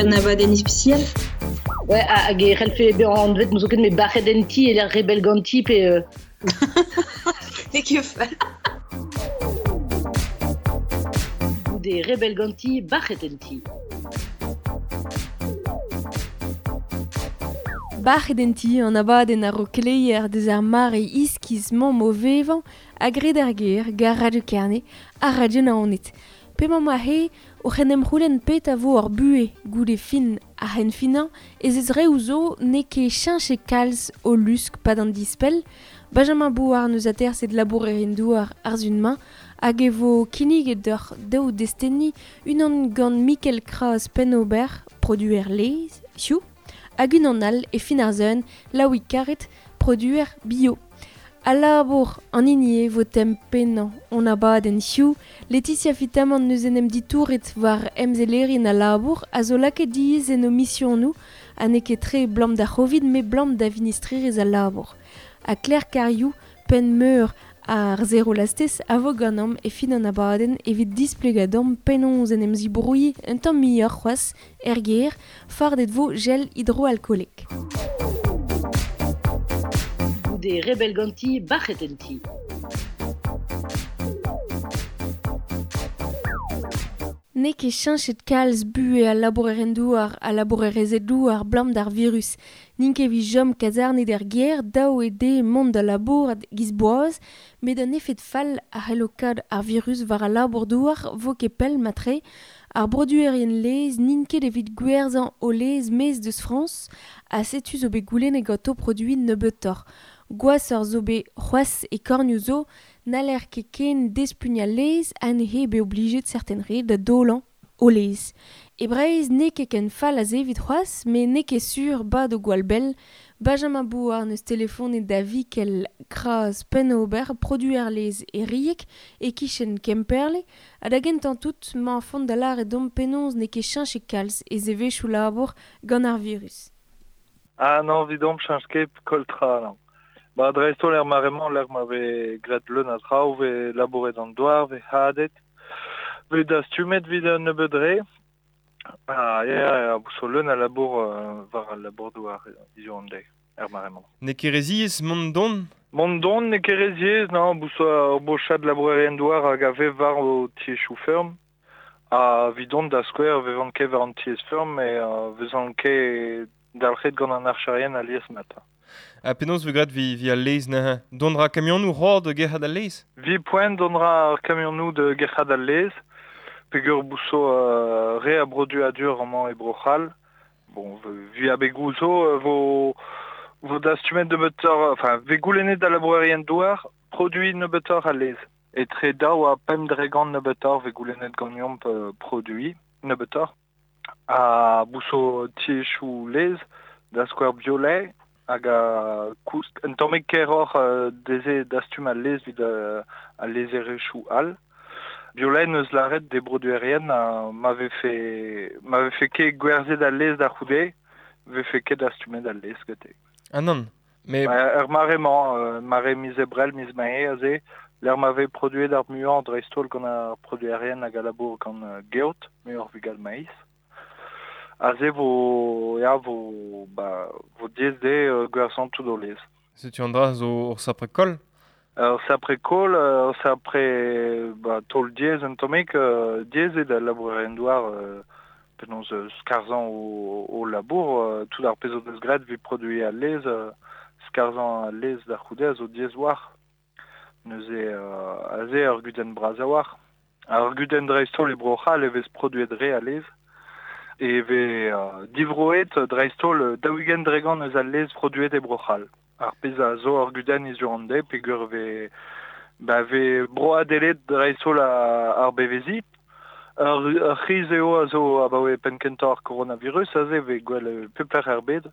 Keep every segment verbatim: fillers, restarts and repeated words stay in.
un abadenn ispisial. Ouais, hag e c'hellfe bezañ anvet n'eus ket met bac'het en ti e lec'h rebel ganti pe... Euh... N'eo ket fall. Goude rebel ganti, bac'het en ti. Bac'het en ti an abadenn ar ro keleier deus ar mare iskiz mamm o vevañ a gred ar ger, gar Radio Kerne, ar Radio Naoned. Pemañ ma he, o c'hen em c'houlenn pet a vo ar buhe goude fin ar c'hen finañ ez ez reoù zo n'eo ket cheñchet kalz o lusk pad an dispell. Benjamin Bouard neus aterset labourerien douar ar zun-mañ hag e vo kinniget d'ur daou destenni unan gant Mikel Kras Pennober, produer lez, hiziv, hag unan all e fin ar zun, Laouig Karet, produer bio. A labour an hini vo tem pennañ on abadenn hiziv, Laetitia Fitamant neus en em ditouret war emzellerin a labour a zo lakaet diaes en o misionoù ha n'eo ket tre blam d'ar C'hovid met blam da vinistrerezh al labour. Ha Claire Cariou, penn meur ar Zero Lastez a vo ganeomp e fin an abadenn evit displegañ deomp penaos en em zibrouilh un tamm muioc'h c'hoazh er gêr, fardet vo gel hidroalkoolek. Goude rebel ganti, bac'het en ti. N'eo ket cheñchet kalz buhez al labourerien douar ha labourerezed douar blam d'ar virus. N'int ket evit chom kazarnet er gêr, dav eo dezhe mont da labourat giz boaz, met an efed fall a c'hello kaout ar virus war al labour-douar vo ket pell matre. Ar broduerien laezh n'int ket evit gwerzhañ o laezh maez deus Frañs ha setu zo bet goulennet ganto produiñ nebeutoc'h. Gwashoc'h zo bet c'hoazh e kornioù zo, n'haller ket ken despugnañ laezh ha neuze bet oblijet serten re da dolañ o laezh. E Breizh n'eo ket ken fall aze evit c'hoazh, met n'eo ket sur bad o gwall bell. Benjamin Bouard neus telefonet da Vikel Kras Pennober, produer laezh e Rieg, e-kichen Kemperle, ha da gentañ tout 'mañ font da lâret deomp penaos n'eo ket cheñchet kalz e zevezhioù labour gant ar virus. Ah non, evidomp cheñch ket koltra, non. Ba dreist-holl er mare-mañ lec'h ma vez graet leun a traoù, vez labouret an douar, vez hadet, vez dastumet evit un nebeud re. Ah, ya, ya, so leun a labour euh, war al labour-douar hiziv an deiz, er mare-mañ. N'eo ket re ziaes mont don? Mont don n'eo ket re ziaes, non, bouso ur bochad labourerien douar hag a vev war o tiezhioù feurm. Ha evidon da skouer vevan ket war an tiez feurm, met euh, vezan ket dalc'het gant an archerien alies mat. Ha penaos vo graet vi, vi al laezh neuze? Dont ra kamionoù c'hoar de gerc'hat al laezh? Vi poent dont ra ar kamionoù de gerc'hat al laezh, peogwir bouso euh, re a broduadur amañ e Bro-C'hall. Bon, vi abegoù zo euh, vo, vo dastumet nebeutoc'h, enfin, vez goulennet da labourerien douar, produit nebeutoc'h al laezh. Etre daou ha pemp dregant nebeutoc'h vez goulennet ganeomp euh, produit nebeutoc'h. Ha bouso tiezhioù laezh, da skouer Biolay, hag a koust un tammig keroc'h euh, deze dastum al laezh evit euh, al laezherezhioù all. Biolay neus lâret d'e broduerien a ma vefe, ma vefe ket gwerzhet al laezh da c'houde, vefe ket dastumet al laezh gante. Ah non, mais... Ba, er mare-mañ, euh, mare miz Ebrel, miz Mae aze, lec'h ma vez produet ar muiañ dreist-holl gant ar produerien hag a labour gant euh, geot, muioc'h evit gant maiz. Aze vo, ya, vo, ba, vo diaes dezhe euh, gwerzhañ tout o laezh. Setu an dra zo ur sapre koll? Ur sapre koll, ur sapre, ba, taol diaes un tammig, euh, diaes eo da labourerien douar euh, penaos euh, skarzhañ o, o labour, euh, tout ar pezh o deus graet evit produiñ al laezh, euh, skarzhañ al laezh da c'houde a zo diaes war. Neuze euh, aze ur gudenn bras a-walc'h. Ar gudenn dreist-holl e Bro-C'hall e vez produet re a laezh. E vez euh, divroet dreist-holl daou-ugent dregant eus al laezh produet e Bro-C'hall. Ar pezh a zo ur gudenn hiziv an deiz peogwir vez, ba, vez broadelet dreist-holl ar beveziñ. Ur, ur c'hriz eo a zo abaoe penn-kentañ ar coronavirus, aze vez gwell pep lec'h er bed.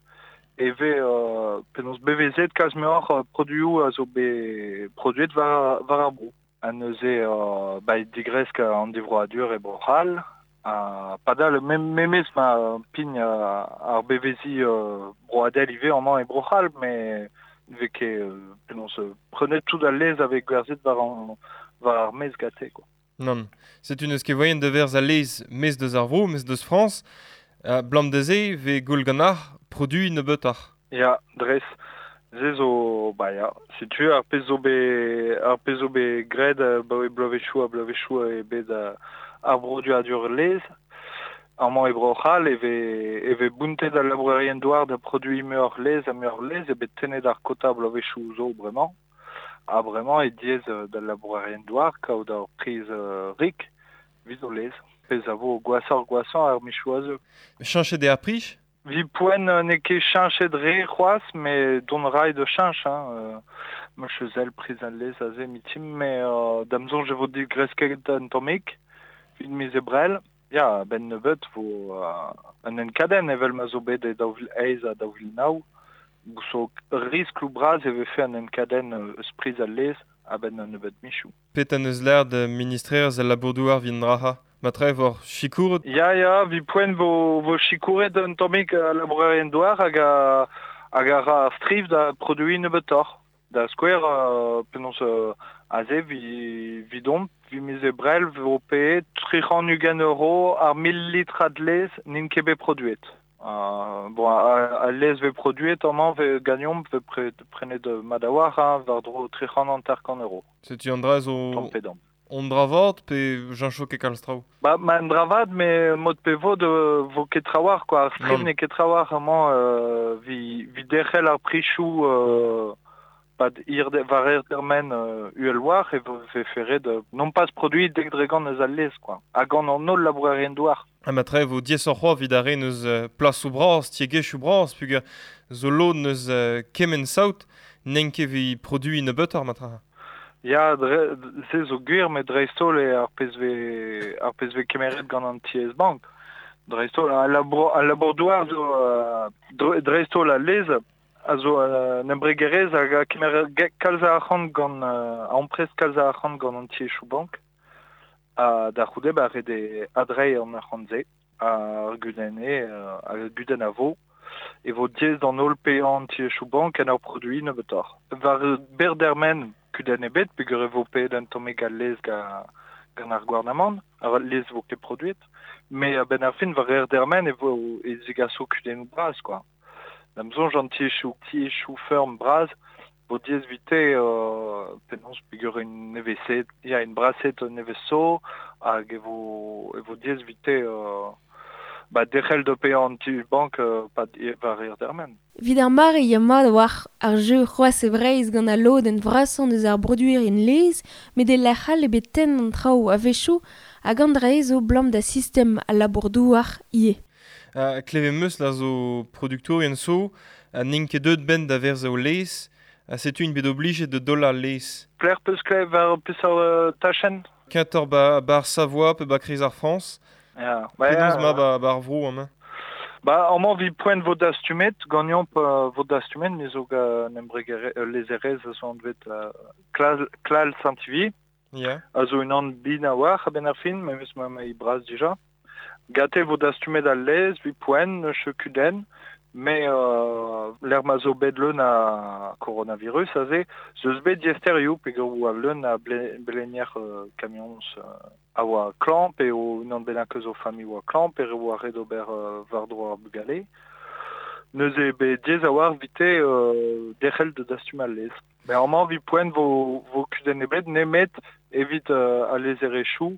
E vez euh, penaos bevezet kalz muioc'h euh, produioù a zo bet produet war, war ar bro. Ha neuze euh, ba, digresk an divroadur e Bro-C'hall. Ha padal mem, memes ma pign euh, ar beveziñ euh, broadel ivez amañ e Bro-C'hall, met vez ket euh, penaos euh, prenet tout al laezh a vez gwerzhet war an, war ar maez gante, quoi. Non. Setu n'eus ket voaien da werzhañ al laezh maez deus ar vro, maez deus Frañs. Uh, blam de ze ve goul ganar produit nebeutoc'h. Ya, dres. Ze zo, ba ya, setu ar pezh zo be, ar pezh zo be graet ba oe bloavezhioù ha bloavezhioù e bet uh, ar broduadur lez. Amañ e Bro-C'hall e ve, e ve bountet al labourerien douar da produiñ muioc'h lez ha muioc'h lez e bet tennet ar kota bloavezhioù zo bremañ. Ha bremañ e diaes da labourerien douar kaout ar priz uh, rik evit o lez. Pezh a vo gwashoc'h gwashañ ar michoù a zeu. Cheñchet eo ar priz? Vi poent n'eo ket cheñchet re c'hoazh, met dont ray da cheñch, hein. Euh, ma chezel priz al lez aze mitim, mais euh, da'm soñj e vo digresket un tammig, evit miz Ebrel. Ya, ben nebeut vo uh, un enkadenn evel ma zo bet e daou vil eizh ha daou vil nav. Bouso riskloù bras e vefe an enkadenn eus priz al lez a-benn un nebeut michoù. Pet an eus l'air de ministrerez al labour-douar vin draha? Ma tre vor sikouret? Ya, ya, vi poent vo, vo sikouret un tammig al labourerien douar hag a, hag a ra ar striv da produiñ nebeutoc'h. Da skouer, euh, penaos euh, aze vi, vi domp, vi miz Ebrel vo paeet tri c'hant ugent euro ar mil litrad lez n'int ket bet produet. Euh, bon, a, a lez ve produet amañ ve gagnomp ve pre, prenet madawar, hein, war-dro tri c'hant hanter-kant euro. Setu an dra zo Tamm pe damm. On dra vat pe jañcho ket kalz traoù? Ba, ma an dra vat, me mod pe vod euh, vo ket trawar, quoi. Ar striv Non. n'eo ket trawar amañ euh, vi, vi derc'hel ar prichoù euh, pad ir de, war ir termen euh, uhel war e vo ve ferret euh, non pas produit dek dre gant eus al lez, quoi. Ha gant an holl labourerien douar. Ha ma tre vo diaesoc'h c'hoazh evit ar re neus euh, plasoù bras, tiegezhioù bras, peogwir zo lod neus euh, kement saout, n'en ket evit produiñ nebeutoc'h ma tra. Ya, dre, se zo gwir, met dreist-holl eo ar pezh ve, ar pezh ve kemeret gant an tiez bank. Dreist-holl, al labour, al labour-douar zo, euh, dre, dreist-holl al lez, a zo euh, un embregerezh hag a kemer ge- kalz a arc'hant gant, euh, a amprest kalz a arc'hant gant an tiezhioù bank. Ha da c'houde ba ret eo adreiñ an arc'hant-se, ar gudenn eo, euh, ar gudenn a vo. E vo diaes d'an holl paeañ an tiezhioù bank en ur produiñ nebeutoc'h. War berr dermen kudenn ebet, peogwir e vo paeet un tammig al lez ga, gant ar gouarnamant, ar lez vo ket produet. Mais a-benn ar fin war hir dermen e vo e zegaso kudennoù bras, quoi. Da'm soñj an tiezhioù, tiezhioù feurm bras vo diaes evite euh, penaos peogwir un nevez-se, ya, un braset nevez zo, hag e vo, e vo diaes evite euh, ba derc'hel da paeañ an ti bank euh, pad war hir dermen. Evit ar mare ya mat war ar jeu c'hoazh e Breizh gant al lodenn vrasañ eus ar broduerien lez, met e lec'h all eo bet tenn an traoù a-wechoù hag an dra zo blam da sistem al labour-douar ivez. Uh, klevet 'm eus la zo produktourien zo, ha n'int ket deuet benn da verzañ o lez, ha setu int bet oblijet da dollañ al lez. Plec'h peus klevet war peseurt euh, tachenn? Kentoc'h ba, ba ar Savoie pe ba kreiz ar Frañs. Ya, ba, Penaos ya, ma ba, ba ar vro amañ? Ba, amañ vi poent vo dastumet, ganeomp euh, vo dastumet, me zo gant embregerezh, euh, lezerezh a zo anvet euh, Klal, Klal Saint-Ivy. Ya. A zo unan bin a-walc'h a-benn ar fin, memes ma ma bras dija. Gate vo dastumet al lez, vi poent, neus kudenn, mais euh, l'er ma zo bet leun a coronavirus aze, zeus bet diaesterioù peogwir oa leun a ble, blenier euh, camions euh, a oa klañv, pe o unan bennak eus o familh oa klañv, pe re oa ret ober euh, war-dro ar bugale. Neuze bet diaes a-walc'h evite euh, derc'hel da dastum al lez. Mais amañ vi poent vo, vo kudenn ebet nemet evit euh, al lezerezhioù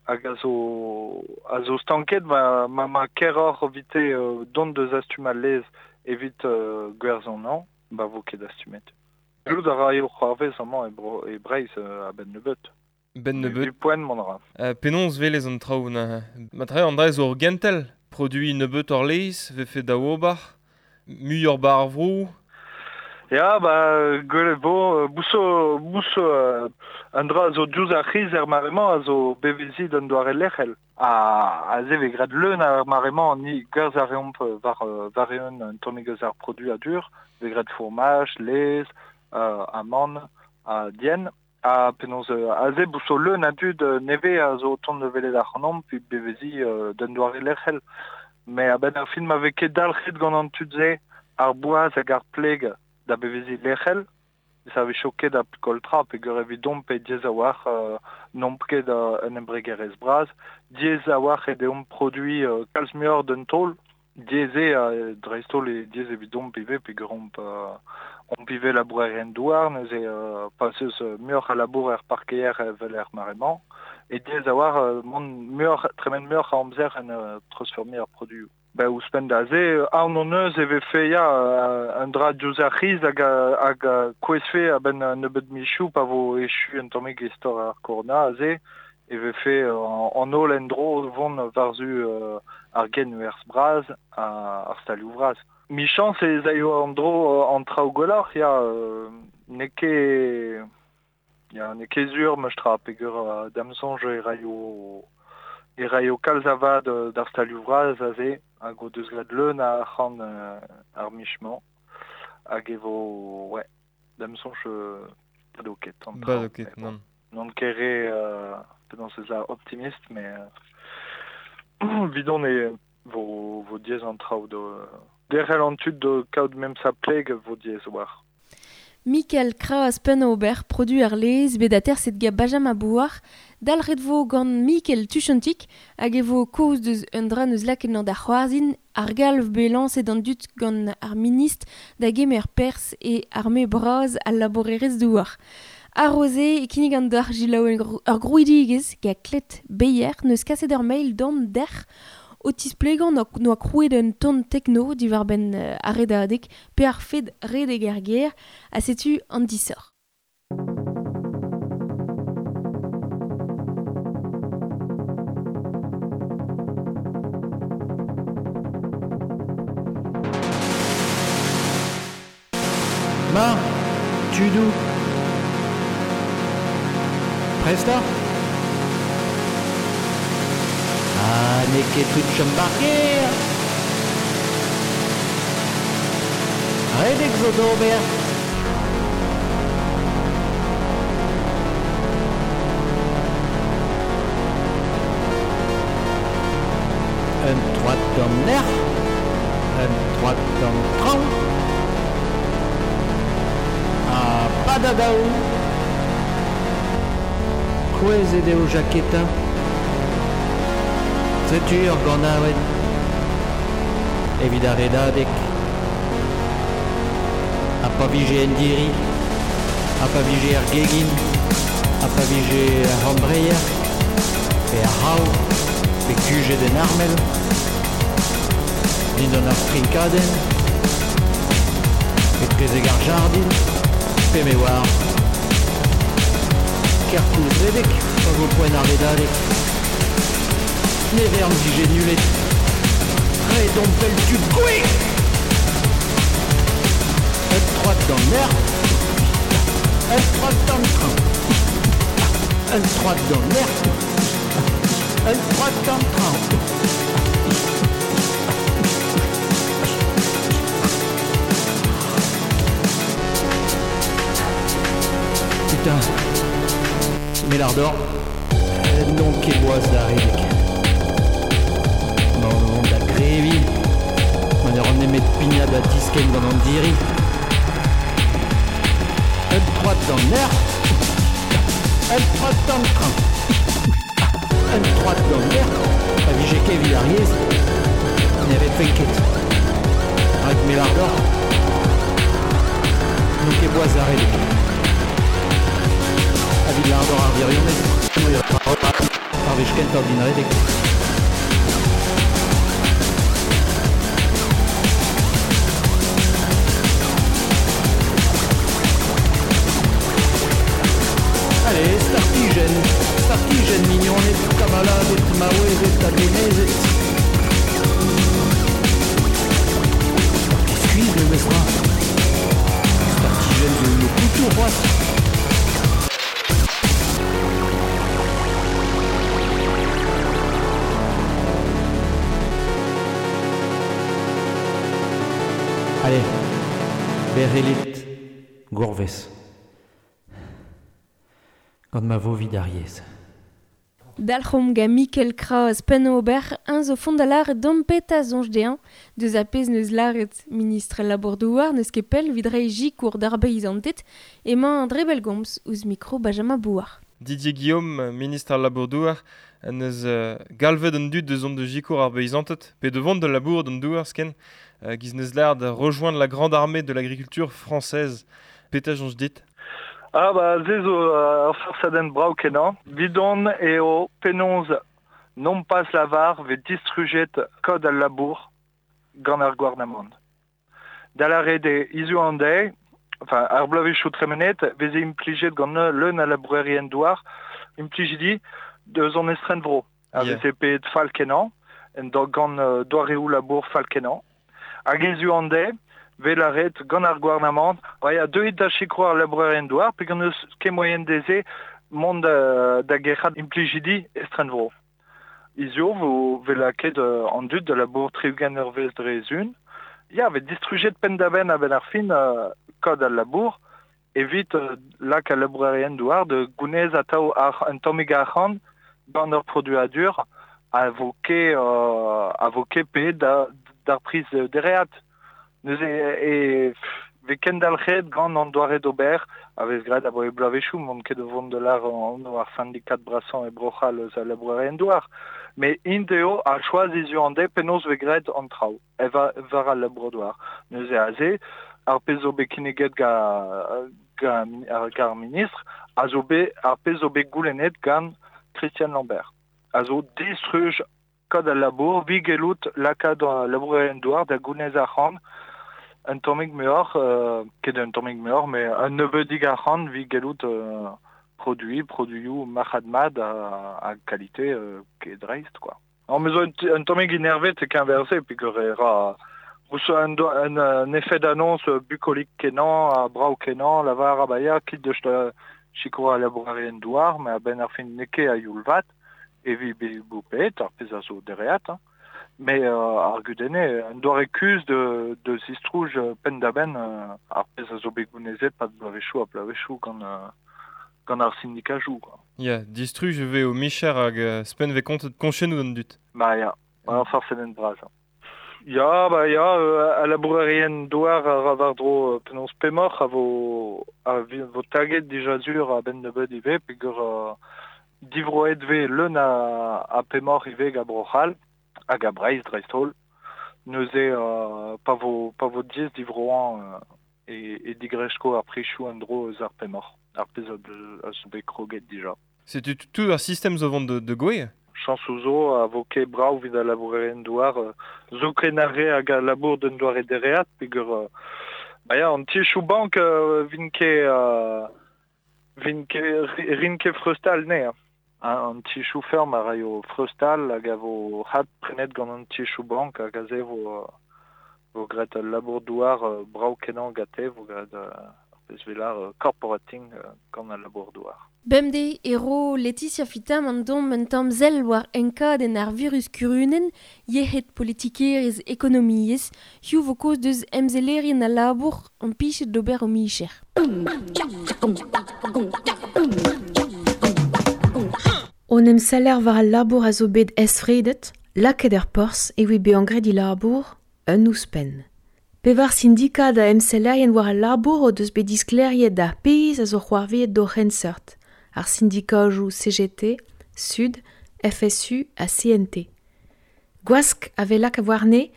hag a zo, a zo stanket ma, ma, ma keroc'h evite euh, dont da zastum al lez evit euh, gwerzhañ an, ba vo ket dastumet. Gellout a raio c'hoarvez amañ e, bro, e Breizh euh, a-benn nebeut. Ben nebeut. Vi poent mont a ra. Euh, penaos velez an traoù na... Ma tre an dra zo ur gentel, produiñ nebeut ur lez, vefe da ober, muioc'h ba ar vro. Ya, ba, gwelet vo, euh, bouso, bouso euh, an dra a zo diouzh ar c'hiz er mare-mañ a zo beveziñ d'an doare lec'hel. Ha aze vez graet leun ar mare-mañ ni gwerzh a reomp war, war eeun un tammig eus ar produadur, vez graet fourmaj, lez, euh, amann, ha dienn. Ha penaos euh, aze bouso leun a dud euh, nevez a zo tont da welet ac'hanomp evit beveziñ euh, d'un doare lec'hel. Mais a-benn ar fin ma vez ket dalc'het gant an tud-se ar boaz hag ar pleg da beveziñ lec'hel, Ça avait choqué da koltra pe gur evidom pe diez a war euh, n'omp ket uh, un embregerez braz diez a war e deomp produit euh, kalz muioc'h d'un taol diez e uh, dreist-holl e diez evidomp ivez pe gur omp euh, omp ivez labourer en douar neuze euh, pas eus muioc'h a labour er parkeier evel er mare-mañ e diez a war euh, mont muioc'h tremen muioc'h a amzer en euh, transformer ar produioù. Ben, ouzhpenn da se, aon hon eus e vefe ya un dra diouzh ar c'hiz hag, hag kouezfe a-benn nebeut michoù pa vo echu un tammig istor ar korona aze e vefe an holl en-dro vont war-zu euh, ar genwerzh braz ar stalioù vras. Michañs ez aio an dro an traoù gwelloc'h ya euh, n'eo ket ya n'eo ket sur meus tra peogwir euh, da'm soñj e raio e raio kalz a vad d'ar stalioù vras aze hag o deus graet leun a arc'hant euh, ar michement hag e vo ouais da'm soñj euh, bado ket an traoù. Bado ket, nann. Non ket re euh, penaos ez a optimiste mais euh, vidon e vo vo diaes an traoù do derc'hel an tud do kaout memes a pleg vo diaes war. Michael Kras Penn-Ober, produ ar lez, bet aterset ga Benjamin Bouar, dalc'het vo gant Michael Tuchantik, hag e vo kaoz deus un dra neus lakaet da c'hoarzhin, ar galv bet lañset an dud gant ar ministr da gemer perzh e arme bras al labourerezh douar. Ar-se e kinnig an deoc'h jilaou ur grouidigezh ga Klet Beyer neus kaset ur mail d'an derc'h o tisplegañ noa krouet un ton tekno diwar-benn ar redadeg pe ar fed redeg ar gêr ha setu an disoc'h. Ma, tudoù. Presta? Ah, n'eo ket tout chom bar gêr. Redek zo d'ober. Un troad d'an nec'h, un troad d'an traoñ. Ha padadaou. Kouezhet eo Jaketa. Setu ur ganaouenn evit ar redadeg. Ha pa vije en diri, ha pa vije ar gegin, ha pa vije ar c'hambreier, pe ar c'hav, pe kujet en armel, dindan ar strinkadenn, pe trezek ar jardin, pe me oar. Kerkoulz redek, pa vo poent ar redadeg. Ne vern vije nulet. Redon pel tud gouek. Un troad d'an aer. Un troad d'an traoñ. Un troad d'an aer. Un troad d'an traoñ. Putain. Mais l'ardor. Non ket boaz da redek. Da grevi, ma ne ran nemet pignat da diskenn gant an diri. Un troad d'an aer, un troad d'an traoñ. Un troad d'an aer, pa vije ket evit ar yezh, ne redfen ket. Rak me l'ardor, n'on ket boaz da redek. Evit l'ardor ar virionez, ar wech kentañ din redek. Allez, startijenn, startijenn, mignoned, kamaladed, maouezed ha denezed. Skuizh memes tra. Startijenn zo ur couteau c'hoazh. Allez, berrelit, gourvez. Gant ma vo vid ar yezh. Dalc'hom ga Mikel Kras penn-ober un zo fond a lar dompeta zonj dean, deus a pez neus laret ministre labour-douar neus ket pell vidrei jikour d'ar beizantet emañ André Belgomz ouz mikro Benjamin Bouard. Didier Guillaume, ministre al labour-douar, neus uh, galvet an dud deus ont de jikour ar beizantet, pe de vont de labour d'an douar sken, uh, giz neus lar de rejoindre la grande armée de l'agriculture française. Peta jonj dit? Ah ba ze zo ur uh, forsadenn brav kenañ. Vidon eo penaos non pas lavar ve distrujet kod al labour gant ar gouarnamant. Da la re izu an deiz, enfin, ar bloavezhioù tremenet, veze implijet gant leun a labourerien douar, implijidi deus an estren vro. A yeah. veze pet fall kenañ, en do gant uh, doareoù labour fall kenañ. Hag izu an deiz, vel a ret gant ar gouarnamant, ba ya deuit da sikour ar labourerien douar, pe gant eus ket moyen deze mont da, da gerc'hat implijidi estren vro. Izio vo vel a ket uh, an dud da labour tri-ugent eurvezh dre zun. Ya, vet distrujet penn-da-benn a-benn ar fin uh, kod al labour, evit uh, lak al labourerien douar de gounez atao ar un tammig arc'hant gant ur produadur a vo ket uh, a vo ket pe da, d'ar priz dereat. Neuze e, e ve kendalc'het gant an doare d'ober a vez graet a boe bloavezhioù mont ket vont de lar an ar syndikat brasañ e Bro-C'hall eus al labourerien douar. Mais int eo a choaz izu an de penaos ve graet an traoù, e va, war al labour douar. Neuze aze, ar pezh zo bet kinniget ga, ga, ga ar ministr, a zo bet, ar pezh zo bet goulennet gant Christian Lambert. A zo distruj kod al labour, vi gelout lakaat al labourerien douar da gounez arc'hant, un tammig muioc'h, euh, ket un tammig muioc'h, mais un nebeudig arc'hant vi gelout euh, produit, produioù marc'had mat a, a qualité euh, ket dreist, quoi. Non, mais zo un, un tammig enervet e keñverse, peogwir e ra un, un, un effet d'annonce bucolique kenañ, a brav kenañ, lavar a baia, kit deus da sikour al labourerien douar, mais a-benn ar fin n'eo ket a youl vat, evi be boupet, ar pezh a zo dereat, hein. Mais euh, ar gudenne, un doare kuz de, de zistrouj penn-da-benn euh, ar pezh a zo bet gounezet pad bloavezhioù ha bloavezhioù gant, euh, gant ar syndikajoù, quoi. Ya, distruj ve o micher hag uh, spen ve kontet koñchennoù d'an dud. Ba ya, ba farsadenn bras. Ya, ba ya, euh, a labourerien douar a ra war-dro penaos pemoc'h a vo, a vo taget dija zur a-benn nebeut ivez, peogwir euh, divroet ve leun a, a pemoc'h ivez ga Bro-C'hall, hag a Breizh dreist-holl. Neuze euh, pa vo, pa vo diaes divroañ euh, e, e digresko ar prizioù an dro eus ar pemoc'h, ar pezh a, a zo bet kroget dija. Setu tout ar sistem zo vont de, de gouez? Chañsoù zo a vo ket brav evit al labourerien douar, euh, zo ken ar re hag a labour d'un doare dereat, peogwir euh, ba ya, an tichoù bank euh, vin ket euh, vin ket rin ket freustal ne. Hein, an tichoù ferm a raio freustal hag a vo hat prenet gant an tichoù bank hag aze vo, vo graet al labour douar euh, brav kenañ gante, vo graet euh, ar pezh velar euh, corporating euh, gant al labour douar. Bemdez e ro Laetitia Fitam an dom un tamm sell war enkadenn ar virus kurunen, yec'hed politikerezh ekonomiezh, hiziv vo kaoz deus emsellerien al labour an pichet d'ober o micher. On emseller war al labour a zo bet esfredet, lakaet er porzh evit bezañ graet e labour, un ouzhpenn. Pevar sindikad a emsellerien war al labour o deus bet disklêriet d'ar pezh a zo c'hoarvezet d'o c'henseurt, ar sindikajoù C G T, Sud, F S U ha C N T. Gwask a vez lakaet warne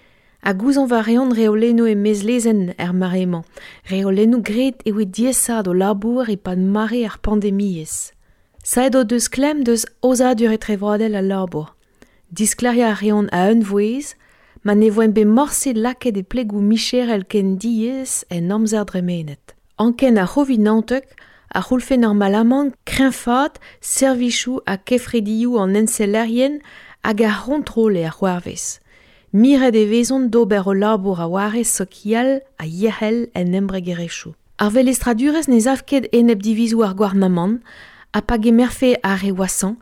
ha gouzañv a reont reolennoù e-maez-lezenn er mare-mañ, reolennoù graet evit diaesaat o labour e-pad mare ar pandemiezh. Saet o deus klemm deus aozadur etrevroadel al labour. Disklêriañ a reont a-unvouezh, ma ne voent bet morse lakaet e plegoù micherel ken diaes en amzer dremenet. Anken ar C'hovid naontek a c'houlfe normalamant kreñfaat servijoù ha kefredioù an ensellerien hag ar c'hontrol eo ar c'hoarvez. Miret e vezont d'ober o labour a warez sokial ha yec'hel en embregerezhioù. Ar velestradurezh ne sav ket enep divizoù ar gouarnamant, ha pa gemerfe ar re wasañ,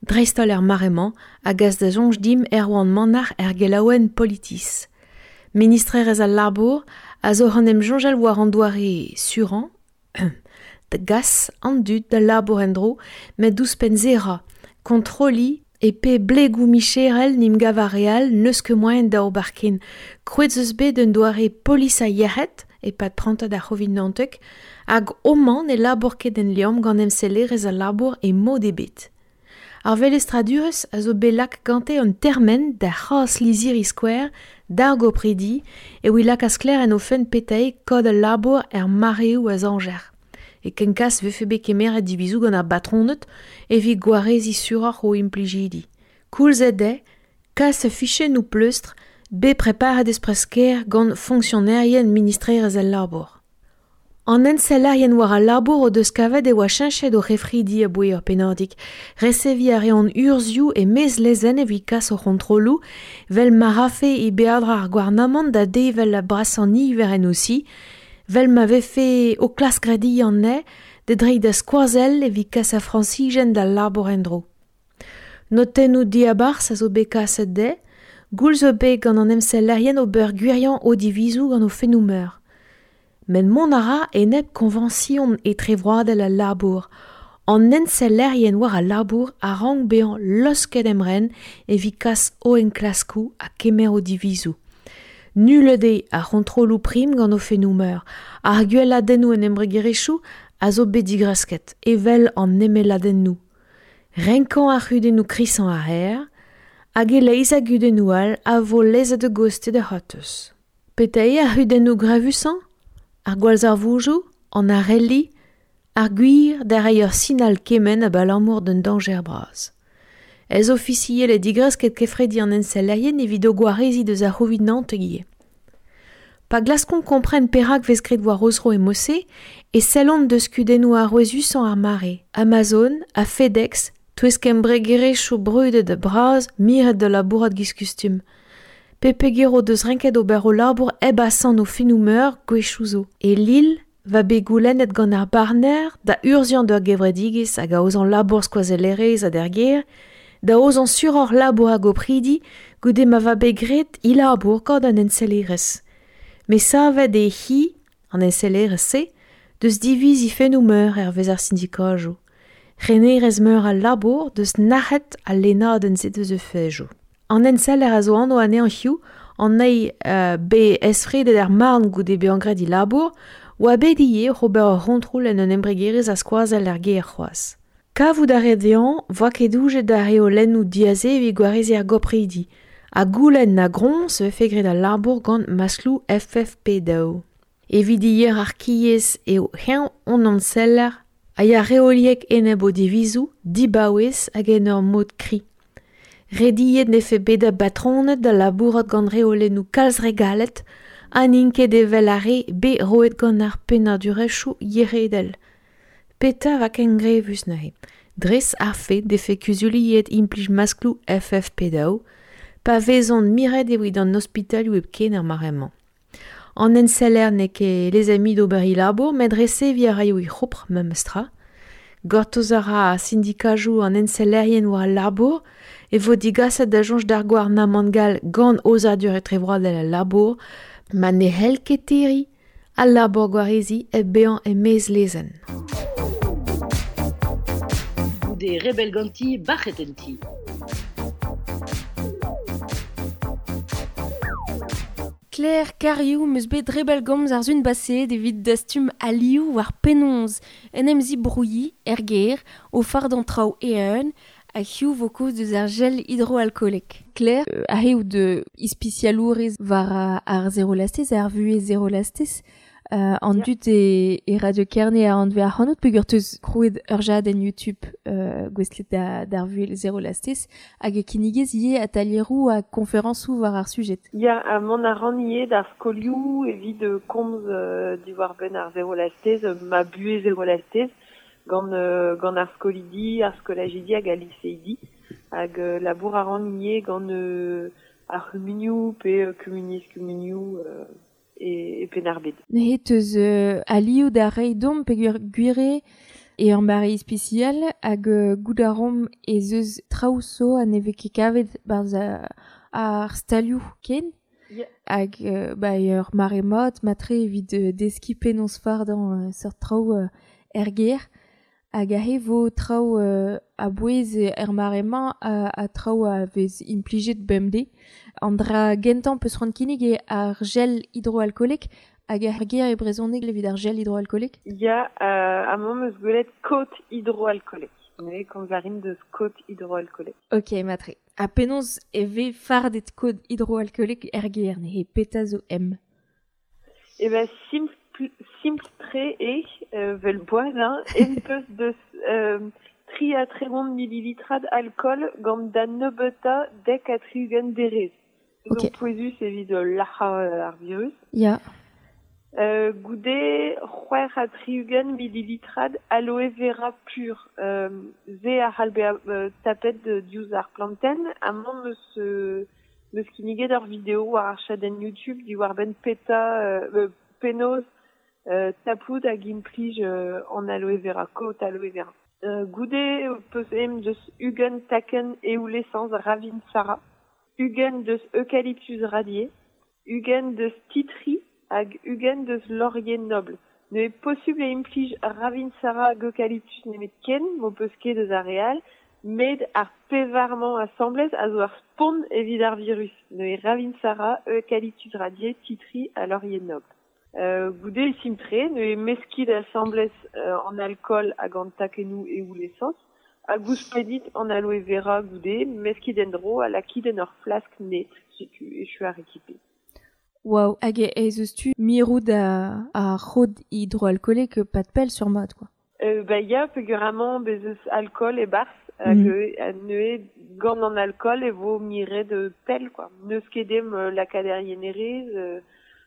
dreist-holl er mare-mañ, hag az da soñj dimp Erwan Manac'h er gelaouenn Politis. Ministrerezh al labour a zo an em soñjal war an doare surañ, da gas an dud da labour en-dro, met ouzhpenn se ra, Kontroli e pe blegou micherel nim gav ar real n'eus ket moaien da ober ken. Krouet eus bet un doare polis a yec'hed, e pad prantad ar c'hovid naontek, hag homañ ne labour ket en liamm gant emsellerezh al labour e mod ebet. Ar velestradurezh a zo bet lak gante un termen da c'hras lizhiri skouer d'ar gopridi e oa lakaat sklaer en o fenn petae kod al labour er mareoù a zañjer. E kenkas vefe bet kemeret divizoù gant ar batroned evit gwareziñ suroc'h o implijidi. Koulz eo dezhe, kas fichennoù pleustr bet preparet espres-kaer gant fonksionerien ministrerezh al labour. An ensellerien war al labour o deus kavet e oa cheñchet o c'hefridi aboe ur pennadig. Reseviñ a reont urzhioù e maez lezenn evit kas o c'hontrolloù, vel ma rafe e beadra ar gouarnamant da devel a brasañ niver en osi, vel ma vefe o klask rediñ anezhe da dreiñ da skoazell evit kas ar Frañsizien d'al labour en-dro. Notennoù diabarzh a zo bet kaset dezhe, goul zo bet gant an emsellerien ober gwiriañ o divizoù gant o fennoù-meur. Met mont a ra enep koñvañsion etrevroadel al labour. An ensellerien war al labour a rank bezañ laosket emren evit kas o enklaskoù ha kemer o divizoù. Nullet eo ar c'hontrolloù prim gant o fennoù-meur. Ar gwelladennoù en embregerezhioù a zo bet digresket, evel an emelladennoù. Renkañ ar c'hudennoù krisañ a reer, hag e-leizh a gudennoù all a vo lezet a-gostez da c'hortoz. Petra eo ar c'hudennoù gravusañ ? Ar gwallzarvoudoù, an arelli, ar gwir da reiñ ur sinal kemenn abalamour d'un dañjer bras. Ez ofisiel e digresket kefredi an ensellerien evit o gwareziñ deus ar c'hovid naontek ivez. Pa glaskont kompren perak vez graet war o zro e Mose, e sellont deus kudennoù arouezusañ ar mare. Amazon ha FedEx, touesk embregerezhioù brudet bras miret da labourat giz kustum. Pepeger o deus renket ober o labour hep asant o fennoù-meur gwechoù zo. E Lille va bet goulennet gant ar barner da urzhiañ d'ur gevredigezh hag aozañ labour skoazellerezh ha d'ar gêr, da aozañ suroc'h labour hag opridi goude ma va bet graet he labour gant an ensellerezh. Met savet eo hi, an ensellerezh-se, deus diviz he fennoù-meur hervez ar sindikajoù. Renerezh-meur al labour deus nac'het al lennadenn-se deus e fejoù. An enseller a zo anv anezhañ hiziv, an eil euh, bet esfredet er marn goude bezañ graet he labour, oa bet ivez oc'h ober ur c'hontrol en un embregerezh a skoazell er gêr c'hoazh. Kavout a rae dezhañ voa ket doujet d'ar reolennoù diaze evit gwareziñ ar gopridi, ha goulenn na groñs e vefe graet al labour gant maskloù F F P daou. Evit hierarkiezh eo eñ hon enseller a ya reoliek enep o divizoù, dibaouez hag en ur mod kri. Rediet nefe bet da batroned da labourat gant reolennoù kalz re galet, ha n'int ket evel ar re bet roet gant ar pennadurezhioù yeredel. Petra va ken grevus neuze. Dres ar fet defe kuzuliet implij maskloù F F P daou, pa vezont miret evit an ospitalioù hepken ar mare-mañ. An enseller n'eo ket les amis d'ober he labour, met reseviñ a raio he c'hopr memestra. Gortoz a ra sindikajoù an ensellerien war al labour, e vo digaset da soñj d'ar gouarnamant gall gant aozadur etrevroadel al labour, ma ne c'hell ket terriñ al labour gwareziñ hep bezañ e-maez lezenn. Goude rebell ganti, bac'het en ti. Claire Cariou meus bet rebell gomz ar zun baseet evit dastum alioù war penaos en em zibrouilhi er gêr o fardañ traoù eeun hag hiziv vo kaoz deus ar gel hidroalkoolek. Claire, euh, aze out de ispisialourez war ar zero lastez, ar vuhez zero lastez, euh, an Yeah. dud e, e Radio Kerne a anve ac'hanout peogwir teus krouet ur jadenn YouTube euh, gouestlet da, d'ar vuhez zero lastez hag e kinnigez ivez atelieroù ha konferañsoù war ar sujet. Ya, ha mont a ran ivez d'ar skolioù evit komz euh, diwar benn ar zero lastez, ma buhez zero lastez, gant, euh, gant ar skolidi, ar skolajidi hag al liseidi, hag euh, labour a ran ivez gant euh, ar c'humunioù pe euh, kumuniezh kumunioù euh, e, e Penn-ar-Bed. Neuze teus euh, alioù da reiñ deomp peogwir gwir eo ur mare ispisial hag euh, goût a ran ez eus traoù zo ha ne vez ket kavet barzh ar stalioù ken. Yeah. Hag euh, ba ur mare mat matre evit euh, deskiñ penaos fardañ euh, seurt traoù euh, er gêr. Hag ahe vo traoù euh, a bouez er mare-mañ a, a traoù a vez implijet bemdez. An dra gentañ peus c'hoant kinnig eo ar gel hidroalkoolek hag ar ger e brezhoneg evit ar gel hidroalkoolek? Ya, euh, amañ 'm eus gwelet kot hidroalkoolek. Neuze komz a rin deus kot hidroalkoolek. Ok, matre. Ha penaos e vez fardet kot hidroalkoolek er ger neuze petra zo em? E ben simpl simpl tre eo, euh, vel boaz, hein, em peus deus euh, tri ha tregont millilitrad alkool gant da nebeutañ dek ha tri-ugent derez. Ok. Zo pouezus evit lac'hañ ar virus. Ya. Euh, goude c'hwec'h ha tri-ugent millilitrad aloe vera pur. Euh, ze a c'hall bezañ euh, tapet diouzh ar plantenn. Amañ 'm eus, euh, 'm eus kinniget ur video war ar chadenn YouTube diwar-benn peta euh, penaos euh, tapout hag implij euh, an aloe vera, kot aloe vera. Euh, goude peus em deus ugent takenn eoul-esañs Ravintsara, ugent deus eucalyptus radié, ugent deus titri hag ugent deus laurier noble. Neuze posubl eo implij Ravintsara hag eucalyptus nemetken, m'ho peus ket eus ar re all, met ar pevar-mañ asambles a zo ar spont evit ar virus. Neuze Ravintsara, eucalyptus radié, titri ha laurier noble. Euh, goude simpl-tre, neuze meskit asambles euh, an alkool hag an takennoù eoul-esañs, hag ouzhpennit an aloe vera goude, meskit en-dro ha lakit en ur flask net, setu echu ar rekipe. Waouh, hag ez eus tu mirout a, ar c'hod hidroalkoolek pad pell sur mat, quoi. Euh, ba ya, peogwir amañ bez eus alkool e-barzh, hag Mm. euh, neuze gant an alkool e vo miret pell, quoi. N'eus ket dem lakaat er yenerez, euh,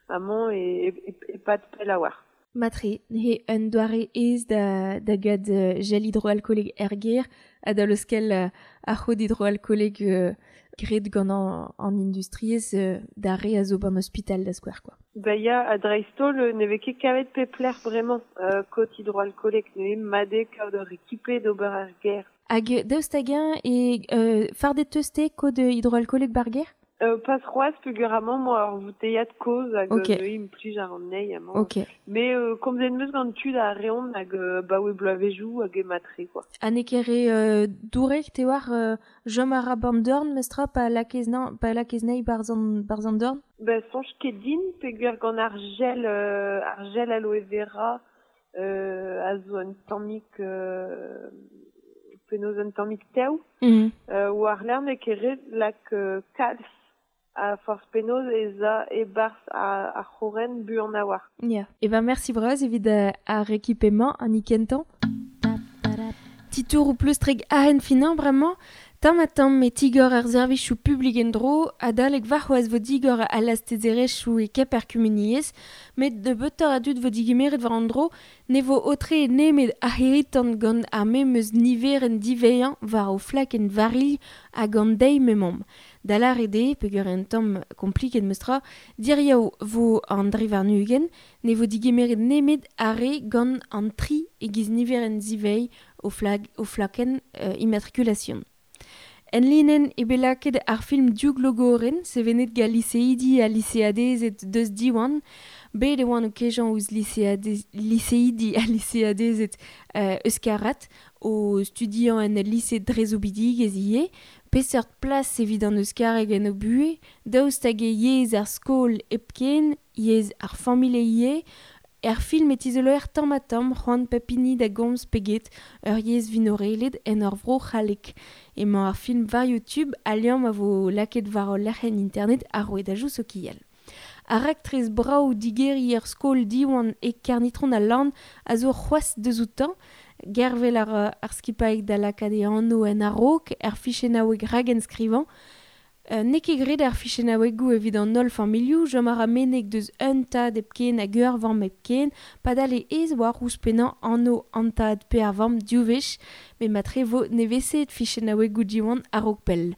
amañ e, e, e pad pell a-walc'h. Matre, neuze un doare aes da, da gad gel hidroalkoolek er gêr ha da leuskel uh, ar c'hod hidroalkoolek euh, graet gant an, an industriezh euh, da re a zo ban ospital da skouer, quoi. Ba ya, ha dreist-holl ne vez ket kavet pep lec'h bremañ euh, kot hidroalkoolek, neuze mat eo kaout ur rekipe d'ober er gêr. Hag daoust hag-eñ e euh, fardet teus te kod hidroalkoolek bar gêr? Euh, pas c'hoazh peogwir amañ 'moa ur vouteiad kozh hag Ok. neuze implij ar anezhi amañ. Ok. Mais euh, komzet 'm eus gant tud a reont hag euh, baoe bloavezhioù hag eo mat-tre, quoi. Ha n'eo ket re euh, dourek te oar euh, chom a ra ban dorn mestra pa lakez nañ, pa lakez nañ barzh an, barzh an dorn? Ba soñj ket din peogwir gant ar gel, euh, ar gel aloe vera euh, a zo un tammig euh, penaos un tammig tev. Mm. Euh, war lerc'h n'eo ket ret lak euh, kalz a forzh penaos ez a e-barzh ar, ar c'horren buan a-walc'h. Ya. E ben merci bras evit uh, ar rekipemañ an ikentañ. Titour ou pleustreg ahen finañ bremañ, tamm ha tamm e tigor ar servijoù publik en-dro, adalek warc'hoazh vo digor al lastezerezhioù e kep ar kumuniezh, met nebeutoc'h a dud vo digemeret war an dro, ne vo aotre nemet ar c'hirri-tan gant ar memes niverenn divezhañ war o flakenn varilh hag an deiz m'emaomp. Da lâret eo, peogwir un tamm kompliket meus tra, diriaou vo an dri warn-ugent, ne vo digemeret nemet ar re gant an tri e-giz niverenn zivezh o flag, o flakenn euh, immatrikulation. En linenn eo bet lakaet ar film Div Glogorenn, sevenet gant liseidi ha liseadezed deus Diwan, bet e oant o kejañ ouzh liseadez, liseidi ha liseadezed euh, euskarat o studiañ en ul lise dre soubidigezh ivez, peseurt plas evit an euskareg en o buhez, daoust hag eo yezh ar skol hepken, yezh ar familh ivez, er film e tizoloer tamm ha tamm c'hoant pep hini da gomz pe get ur yezh vinorelet en ur vro c'hallek. Emañ ar film war YouTube al liamm a vo lakaet war ul lec'hienn internet ar rouedadoù sokial. Ar raktres brav digeriñ ur skol Diwan e Kernitron al Lann a zo c'hoazh deus outañ, gervel ar, ar skipailh da lakaat e anv en a-raok er fichennaoueg ragenskrivañ. Euh, n'eo ket graet ar fichennaouegoù evit an holl familhoù, chom a ra meneg deus un tad hepken hag ur vamm hepken, padal e aes war ouzhpennañ anv an tad pe ar vamm div wech, met matre vo nevesaet fichennaouegoù Diwan a-raok pell.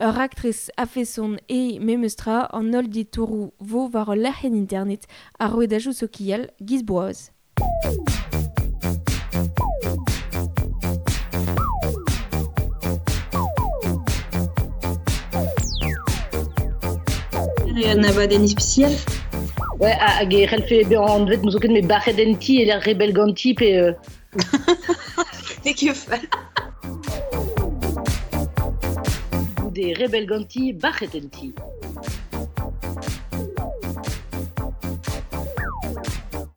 Ur raktres a-feson eo memes tra an holl ditouroù vo war ul lec'hienn internet ar rouedadoù sokial giz boaz. Un abadenn ispisial? Ouais, hag e c'hellfe bezañ anvet 'm eus ket met bac'het en ti e lec'h rebell ganti pe euh, Ne ket fall. Goude rebel ganti, bac'het en ti.